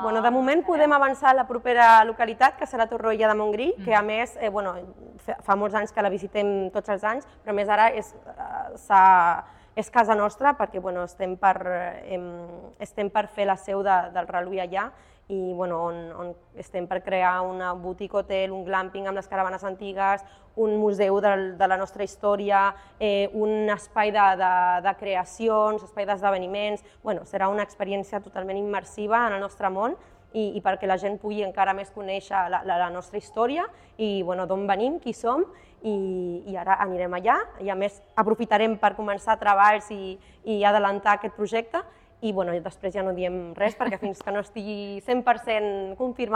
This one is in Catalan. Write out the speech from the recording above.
Bueno, de moment podem avançar a la propera localitat, que serà Torroella de Montgrí, que a més fa molts anys que la visitem tots els anys, però a més ara és casa nostra perquè estem per fer la seu del Reluí allà i on estem per crear una boutique hotel, un glamping amb les caravanes antigues, un museu de la nostra història, un espai de creacions, espai d'esdeveniments. Serà una experiència totalment immersiva en el nostre món i perquè la gent pugui encara més conèixer la nostra història i d'on venim, qui som, i ara anirem allà i a més aprofitarem per començar treballs i adelantar aquest projecte i després ja no diem res perquè fins que no estigui 100% confirmat